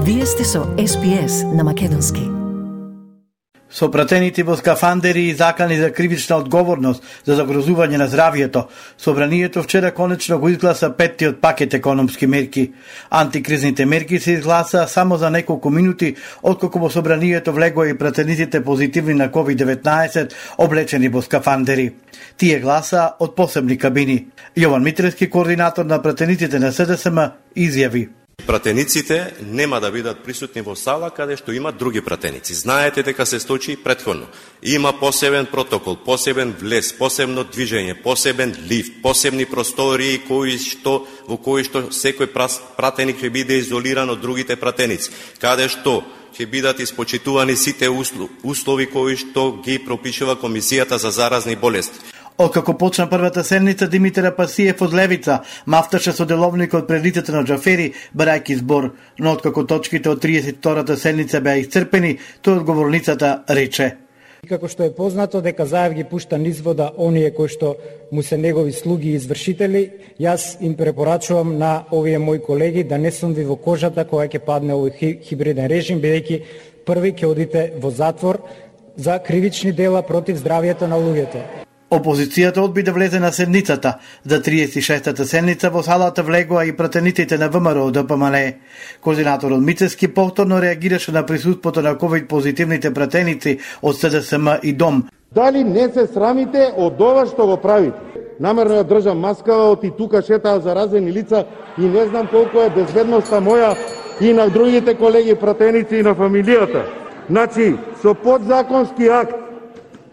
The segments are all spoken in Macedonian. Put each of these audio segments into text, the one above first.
Вие сте со SPS на македонски. Со пратените во скафандери и закани за кривична одговорност за загрозување на здравјето, Собранието вчера конечно го изгласа петтиот пакет економски мерки. Антикризните мерки се изгласа само за неколку минути откако во Собранието влегоа и пратениците позитивни на COVID-19 облечени во скафандери. Тие гласа од посебни кабини. Јован Митревски, координатор на пратениците на СДСМ, изјави: Пратениците нема да бидат присутни во сала каде што има други пратеници. Знаете дека се случи претходно. Има посебен протокол, посебен влез, посебно движење, посебен лифт, посебни простории во кои што секој пратеник ќе биде изолиран од другите пратеници, каде што ќе бидат испочитувани сите услови кои што ги пропишува Комисијата за заразни болести. Откако почна првата седница, Димитар Апасиев од Левица мафташе со деловникот пред лицето на Џафери, барајќи збор, но откако точките од 32-та седница беа исцрпени, тој од говорницата рече: Како што е познато дека Заев ги пушта низ вода оние кои што му се негови слуги и извршители, јас им препорачувам на овие мои колеги да не сум ви во кожата кога ќе падне овој хибриден режим, бидејќи први ќе одите во затвор за кривични дела против здравјето на луѓето. Опозицијата одби да влезе на седницата. За 36-та седница во салата влегоа и пратениците на ВМРО ДПМН. Координаторот Мицевски повторно реагираше на присуството на ковид позитивните пратеници од СДСМ и ДОМ. Дали не се срамите од ова што го правите? Намерно ја држам маскава, оти тука шетаа заразени лица и не знам колку е безбедноста моја и на другите колеги пратеници и на фамилијата. Значи, со подзаконски акт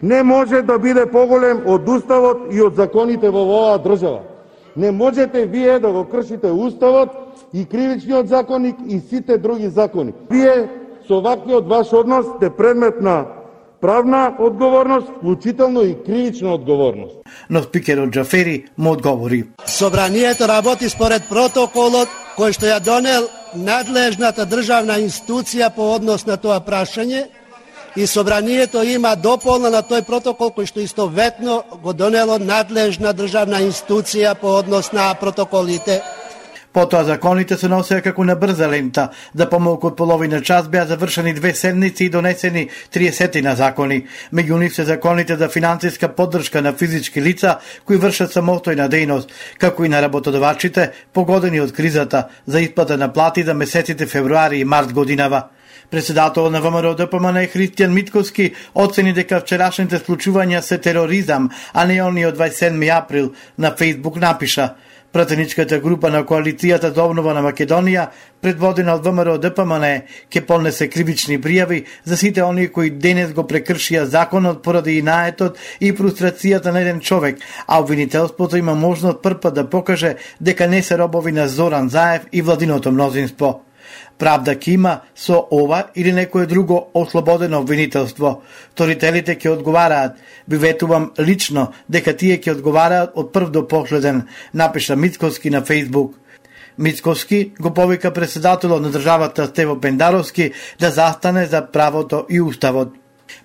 не може да биде поголем од Уставот и од законите во оваа држава. Не можете вие да го кршите Уставот и Кривичниот законник и сите други закони. Вие со ваквиот ваш однос сте предмет на правна одговорност, вклучително и кривична одговорност. Но спикерот Џафери му одговори: Собранието работи според протоколот кој што ја донел надлежната државна институција по однос на тоа прашање, и Собранието има дополна на тој протокол кој што истоветно го донело надлежна државна институција по однос на протоколите. Потоа законите се носеа како на брза лента. За помалку од половина час беа завршени 2 седници и донесени 30 на закони. Меѓу нив се законите за финансиска поддршка на физички лица кои вршат самостојна дејност, како и на работодавачите погодени од кризата за исплата на плати за месеците февруари и март годинава. Председател на ВМРО ДПМН Христијан Митковски оцени дека вчерашните случувања се тероризам, а не они од 27 април. На Фејсбук напиша: Пратеничката група на Коалицијата за обнова на Македонија, предводена од ВМРО ДПМН, ќе поднесе кривични пријави за сите оние кои денес го прекршија законот поради инаетот и фрустрацијата на еден човек, а обвинителството има можност првпат да покаже дека не се робови на Зоран Заев и владиното мнозинство. Правда ќе има со ова или некое друго ослободено обвинителство. Сторителите ќе одговараат. Ви ветувам лично дека тие ќе одговараат од прв до последен, напиша Мицковски на Фејсбук. Мицковски го повика председателот на државата Стево Пендаровски да застане за правото и уставот.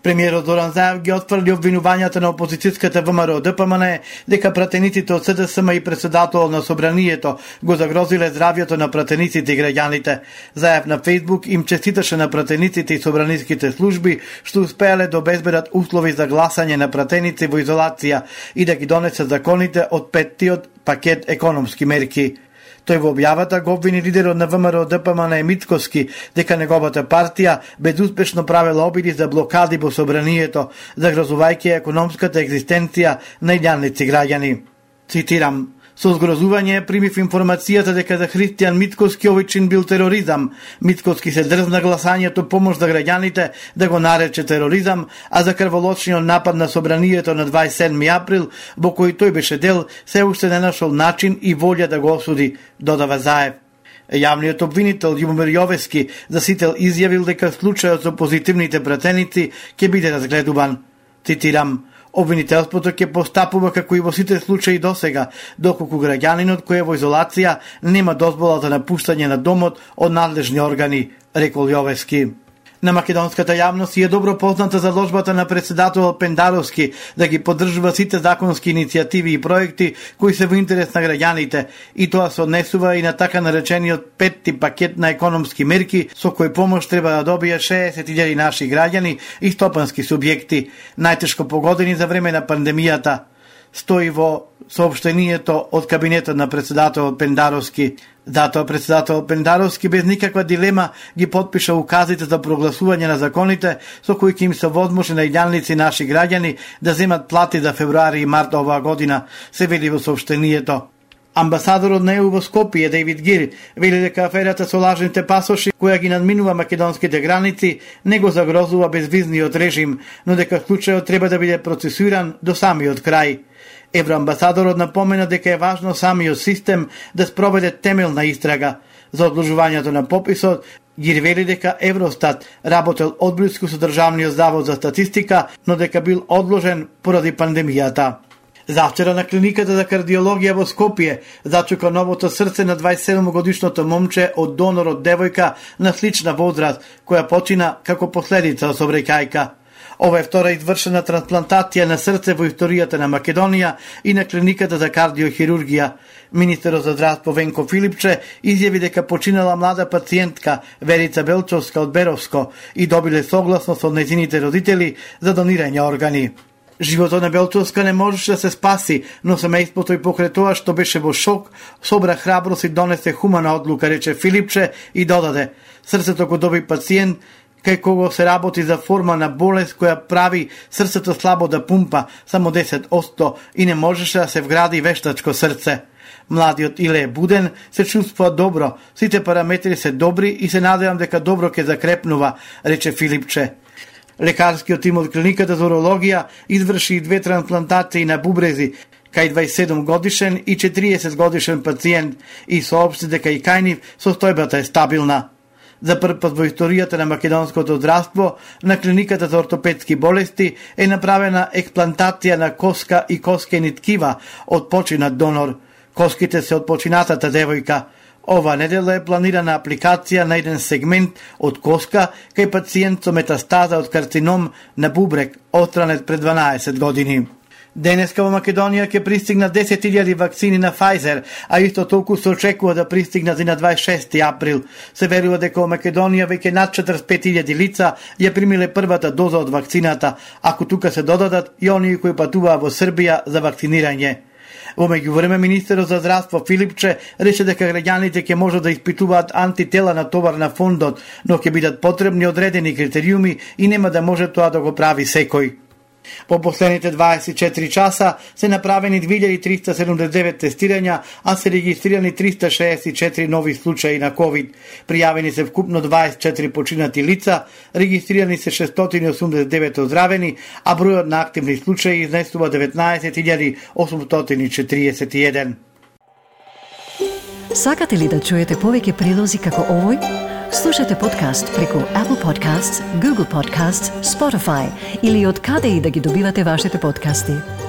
Премиерот Зоран Заев ги отфрли обвинувањата на опозицијската ВМРО ДПМН дека пратениците од СДСМ и председателот на Собранието го загрозиле здравјето на пратениците и граѓаните. Заев на Фејсбук им честиташе на пратениците и собраниските служби што успеале да обезбедат услови за гласање на пратеници во изолација и да ги донесат законите од петтиот пакет економски мерки. Тој во објавата го обвини лидерот на ВМРО ДПМН Мицковски дека неговата партија безуспешно правела обиди за блокади во Собранието, загрозувајќи економската екзистенција на илјадници граѓани. Цитирам: Со згрозување примив информацијата дека за Христијан Мицковски овој чин бил тероризам. Мицковски се дрзна гласањето помош за граѓаните да го нарече тероризам, а за крволочниот напад на Собранието на 27 април, во кој тој беше дел, се уште не нашол начин и волја да го осуди, додава Заев. Јавниот обвинител Љубомир Јовески за сител изјавил дека случајот со позитивните пратеници ќе биде разгледуван. Цитирам: Обвинителството ќе постапува како и во сите случаи досега, доколку граѓанинот кој е во изолација нема дозвола за напуштање на домот од надлежни органи, рекол Јовески. На македонската јавност е добро позната заложбата на председател Пендаровски да ги поддржува сите законски иницијативи и проекти кои се во интерес на граѓаните, и тоа се однесува и на така наречениот петти пакет на економски мерки со кој помош треба да добијат 60.000 наши граѓани и стопански субјекти, најтешко погодени за време на пандемијата, стои во соопштението од кабинетот на председател Пендаровски. Затоа председател Пендаровски без никаква дилема ги потпиша указите за прогласување на законите со кои ќе им се возможи на илјаници наши граѓани да земат плати за февруари и март оваа година, се вели во соопштението. Амбасадорот на ЕУ во Скопје, Дейвид Гир, вели дека аферата со лажните пасоши, која ги надминува македонските граници, не го загрозува безвизниот режим, но дека случајот треба да биде процесуиран до самиот крај. Евроамбасадорот напомена дека е важно самиот систем да спроведе темелна истрага. За одложувањето на пописот, Гир вели дека Евростат работел одблиску со Државниот завод за статистика, но дека бил одложен поради пандемијата. Завчера на клиниката за кардиологија во Скопје зачука новото срце на 27-годишното момче од донор од девојка на слична возраст, која почина како последица од сообраќајка. Ова е втора извршена трансплантација на срце во историјата на Македонија и на клиниката за кардиохирургија. Министерот за здравство Венко Филипче изјави дека починала млада пациентка Верица Белчовска од Беровско и добиле согласност од нејзините родители за донирање органи. Животот на Белчовска не можеше да се спаси, но семејството и покрај тоа што беше во шок, собра храброст и донесе хумана одлука, рече Филипче и додаде: срцето го доби пациент кај кого се работи за форма на болест која прави срцето слабо да пумпа, само 10% и не можеше да се вгради вештачко срце. Младиот Иле буден, се чувствува добро, сите параметри се добри и се надевам дека добро ќе закрепнува, рече Филипче. Лекарскиот тим од клиниката за урологија изврши 2 трансплантации на бубрези кај 27 годишен и 40 годишен пациент и соопшти дека и кај нив состојбата е стабилна. За прв пат во историјата на македонското здравство, на клиниката за ортопедски болести е направена експлантација на коска и коскени ткива од починат донор. Коските се од починатата девојка. Ова недела е планирана апликација на еден сегмент од коска кај пациент со метастаза од карцином на бубрек, отстранет пред 12 години. Денеска во Македонија ќе пристигнат 10.000 вакцини на Pfizer, а исто толку се очекува да пристигнат и на 26 април. Се верува дека во Македонија веќе над 45.000 лица ја примиле првата доза од вакцината, ако тука се додадат и оние кои патуваа во Србија за вакцинирање. Во меѓувреме, министерот за здравство Филипче рече дека граѓаните ќе можат да испитуваат антитела на товар на фондот, но ќе бидат потребни одредени критериуми и нема да може тоа да го прави секој. По последните 24 часа се направени 2379 тестирања, а се регистрирани 364 нови случаи на COVID. Пријавени се вкупно 24 починати лица, регистрирани се 689 оздравени, а бројот на активни случаи изнесува 19.841. Сакате ли да чуете повеќе прилози како овој? Слушате подкаст преку Apple Podcasts, Google Podcasts, Spotify или од каде и да ги добивате вашите подкасти.